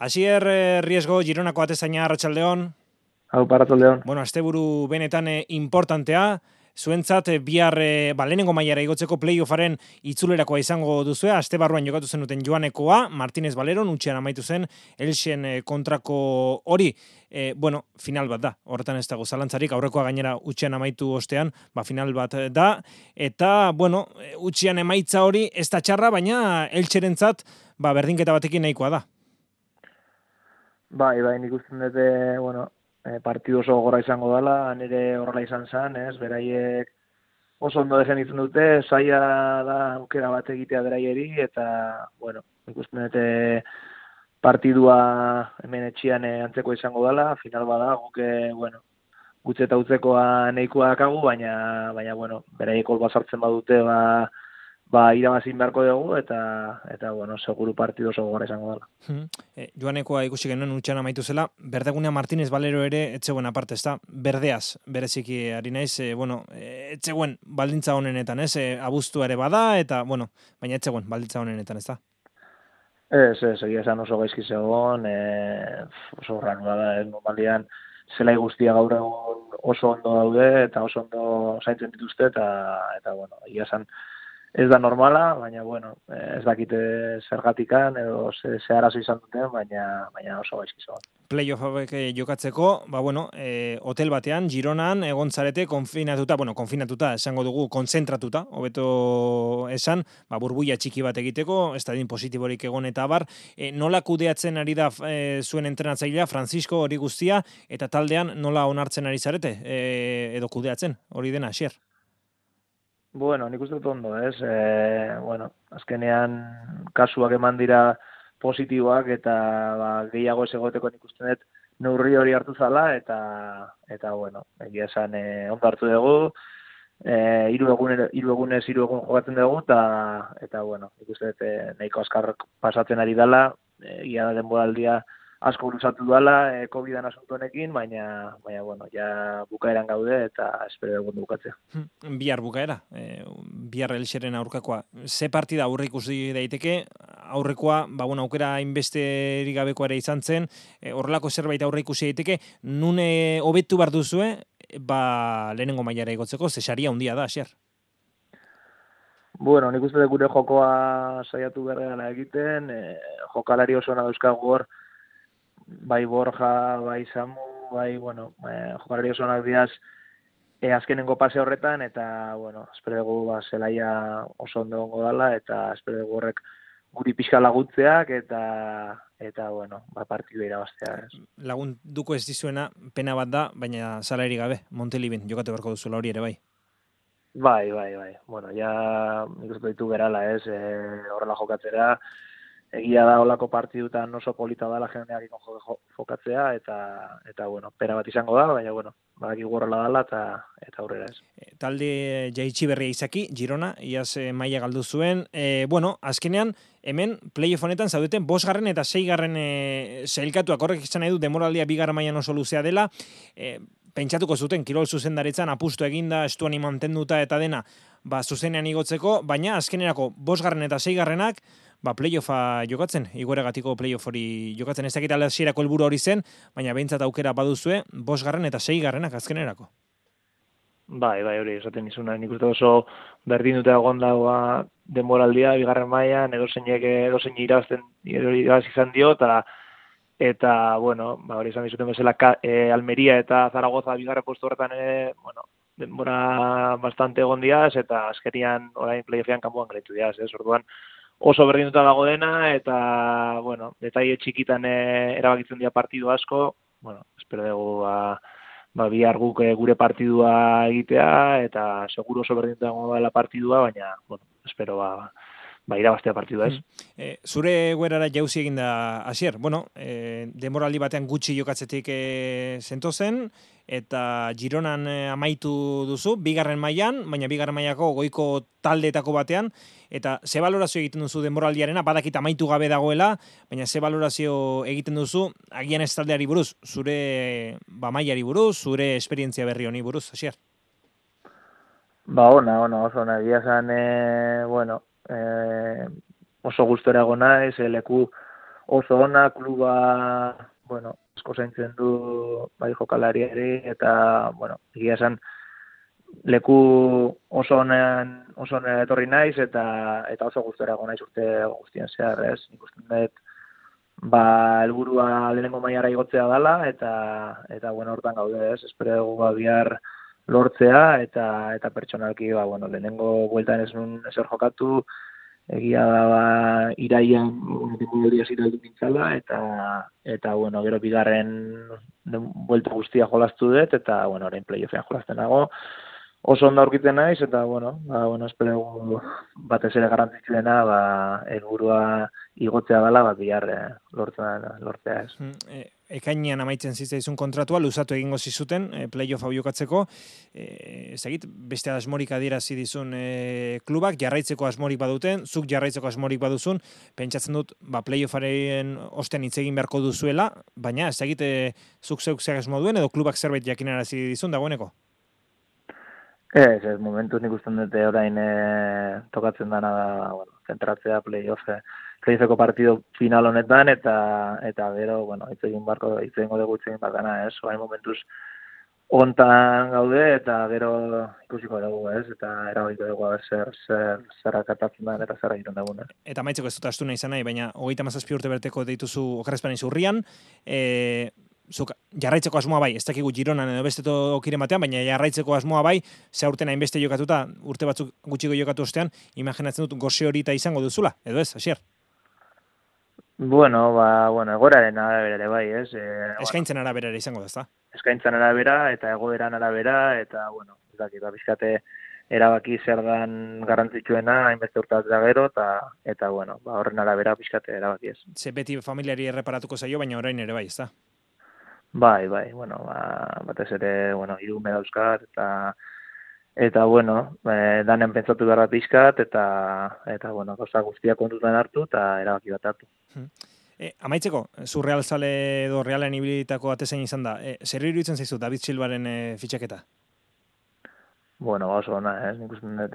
Asier Riesgo, Gironako atezaina, arratsaldeon. Hau, arratsaldeon. Bueno, asteburu benetan importantea, zuentzat bihar lehenengo mailara igotzeko playoffaren itzulerakoa izango duzue, aste barruan jokatu zenuten Joanekoa, Martinez Baleron, utxean amaitu zen, Elxen kontrako hori, final bat da, horretan ez dago zalantzarik, aurrekoa gainera utxean amaitu ostean, final bat da, eta, utxean emaitza hori ez da txarra, baina Elxerentzat, berdinketa batekin nahikoa da. Bai, nik uste dute, partidu oso gogorra izango dela, nire horrela izan zen, beraiek oso ondo defenditzen dute, zaila da aukera bat egitea beraieri, eta, nik uste dute partidua hemen etxian antzeko izango dela, final bada, gutxe eta utzekoa nahikoa dakagu, baina, beraiek hol bazartzen badute, irabazin beharko dugu, eta seguru partidu oso gogorra izango dela. Joanekoa ikusi genuen utxan amaitu zela, berdegunea Martinez Balero ere etzegoen aparte, ez da? Berdeaz, bereziki ari naiz, etzegoen baldintza honenetan, ez? Abuztua ere bada, eta, baina etzegoen baldintza honenetan, ez da? Ez, egia esan oso gaizki zegoen, oso horranua da, normalian zelai guztia gaur egun oso ondo daude, eta oso ondo zaintzen dituzte, eta egia esan ez da normala, baina, ez dakite zergatikan, edo ze arazo izan duten, baina oso gaizki zegoen. Playoff hauek jokatzeko, hotel batean, Gironan, egon zarete, konfinatuta, esango dugu, konzentratuta, hobeto esan, burbuia txiki bat egiteko, estadin positiborik egon eta abar, nola kudeatzen ari da zuen entrenatzailea, Francisco, hori guztia, eta taldean nola onartzen ari zarete, edo kudeatzen, hori dena, Asier? Nik uste dut ondo, ez? Azkenean kasuak eman dira positiboak eta gehiago ez egoteko nik uste dut neurri hori hartu zala eta egia esan ondo hartu dugu, hiru egun jokatzen dugu eta nik uste dut nahiko azkar pasatzen ari dela, ia da denboraldia asko luzatu dela COVID-an asunto honekin, baina ja bukaeran gaude eta espero dugu bukatzea. Bihar bukaera, bihar Elxeren aurkakoa. Ze partida aurre ikusi daiteke, aurrekoa, aukera hainbesterik gabekoa ere izan zen, horrelako zerbait aurre ikusi daiteke, nune hobetu behar duzue, lehenengo mailara igotzeko, ze saria handia da, Asier? Nik uste dut gure jokoa saiatu berreala egiten, jokalari oso dauzkagu hor, bai Borja, bai Samu, jokalari oso onak diaz azkenengo pase horretan, eta, espero dugu zelaia oso ondo gongo dela, eta espero dugu horrek guri pixka lagutzeak, eta partidu irabaztea. Lagunduko ez dizuena, pena bat da, baina salairi gabe, Montelibin, jokatu beharko duzuela hori ere bai. Bai. Ja, nik uste ditu berala, horrela jokatzera, egia da olako partidutan oso polita dela jendeak jokatzea, eta pena bat izango da, baina, badaki gorrela dela, eta aurrera ez. Talde jaitsi berria izaki, Girona, iaz maila galdu zuen. Azkenean, hemen, playoff honetan zaudeten, 5. eta 6. sailkatuak, horrek izan nahi du, demoraldia 2. mailan oso luzea dela, pentsatuko zuten, kirol zuzendaritzan apustu eginda, estuani mantenduta eta dena, zuzenean igotzeko, baina azkenerako 5. eta 6. Playoffa jokatzen, igoeregatiko playoff hori jokatzen, ez dakit hasierako helburu hori zen, baina behintzat aukera baduzue, 5. eta 6. azkenerako. Bai, hori esaten izuna, nik uste oso berdin dute egon dagoa denboraldia, 2. mailan, edozein irabazten izan dio, eta hori izan dizuten bezala Almeria eta Zaragoza 2. postu horretan denbora bastante egon diaz, eta azkenian orain playoffean kanpoan gaitu diaz, orduan oso berdinduta dago dena, eta, detaile txikitan erabakitzen dira partidu asko, espero dugu, bihar guk gure partidua egitea, eta seguro oso berdinduta dago dela partidua, baina, espero, irabaztea partidua ez. Zure guerara jauzi egin da, Asier, demoraldi batean gutxi jokatzetik zentozen, eta Gironan amaitu duzu, 2. mailan, baina 2. mailako goiko taldeetako batean, eta ze balorazio egiten duzu demoraldiarena, badakit amaitu gabe dagoela, baina ze balorazio egiten duzu, agian ez taldeari buruz, zure mailari buruz, zure esperientzia berri honi buruz, Asier? Ona, oso ona, egia zan, oso gustora egon naiz, leku oso ona, kluba, bueno, asko zaintzen du bai jokalariari, eta, bueno, egia esan, leku oso onean etorri naiz, eta oso gustora egon naiz urte guztien zehar, ez? Nik uste dut, helburua lehenengo mailara igotzea dela, eta bueno, hortan gaude, ez? Espero dugu bihar lortzea, eta pertsonalki, bueno, lehenengo bueltan ez nun ezer jokatu, egia da, iraian, denboraldia ziraldu nintzala, eta bueno, gero bigarren buelta guztia jolastu dut, eta, bueno, orain playoffean jolasten nago. Oso ondo aurkitzen naiz, eta, bueno, espero batez ere garrantzitsuena, helburua igotzea dela, bihar lortzea ez. Ekainean amaitzen zitzaizun kontratua, luzatu egingo zizuten, playoff hau jokatzeko, ezagit, beste asmorik adierazi dizun klubak, jarraitzeko asmorik baduten, zuk jarraitzeko asmorik baduzun, pentsatzen dut, playoffaren ostean hitz egin beharko duzuela, baina ezagit, zuk zeuk zer asmo duen, edo klubak zerbait jakinarazi dizun dagoeneko? Ez, momentuz nik usten dute orain tokatzen dana da, bueno, zentratzea playoffeko partido final honetan, eta gero, bueno, hitz egingo dugu dana, ez? Orain momentuz hontan gaude, eta gero ikusiko dugu, ez? Eta erabakiko dugu zer akatatzen da, eta zer egiten dugun, ez? Eta maitzeko ez dut astu nahi izan nahi, baina 37 urte berteko deituzu okerrezpanen urrian, zuk jarraitzeko asmoa bai, ez dakigu Gironan edo beste tokiren batean, baina jarraitzeko asmoa bai, ze urten hainbeste jokatuta, urte batzuk gutxiko jokatu ostean, imaginatzen dut gose horita izango duzula, edo ez, Asier? Bueno, egoraren arabera ere bai, ez? Eskaintzen arabera ere izango da, ezta? Eskaintzen arabera, eta egoeran arabera, eta, bueno, ez dakit, pixkate erabaki zer dan garrantzitsuena, hainbeste urtaz da gero, eta bueno, horren arabera pixkate erabaki ez. Ze beti familiari erreparatuko zaio, baina orain ere bai, ezta? Bai, bueno, batez ere, bueno, 3 ume dauzkat, eta bueno, danen pentsatu behar da pixkat, eta bueno, gauza guztiak kontutan hartu, eta erabaki bat hartu. Amaitzeko, zu realzale edo realen ibilitako atezain izan da, zer iruditzen zaizu David Silvaren fitxaketa? Bueno, oso ona, nik uste dut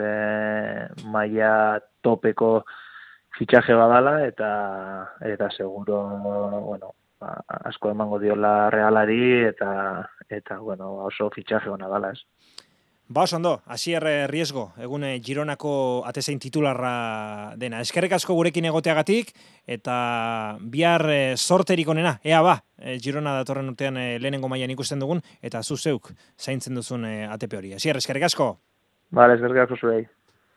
maila topeko fitxaje badala, eta seguro, bueno, asko emango diola realari, eta bueno, oso fitxaje ona dala, ez. Oso ondo, Asier Riesgo, egun Gironako atezain titularra dena. Eskerrik asko gurekin egoteagatik, eta bihar sorterik onena, ea Girona datorren urtean lehenengo mailan ikusten dugun, eta zu zeuk zaintzen duzun ATP hori. Asier, eskerrik asko. Eskerrik asko zuei.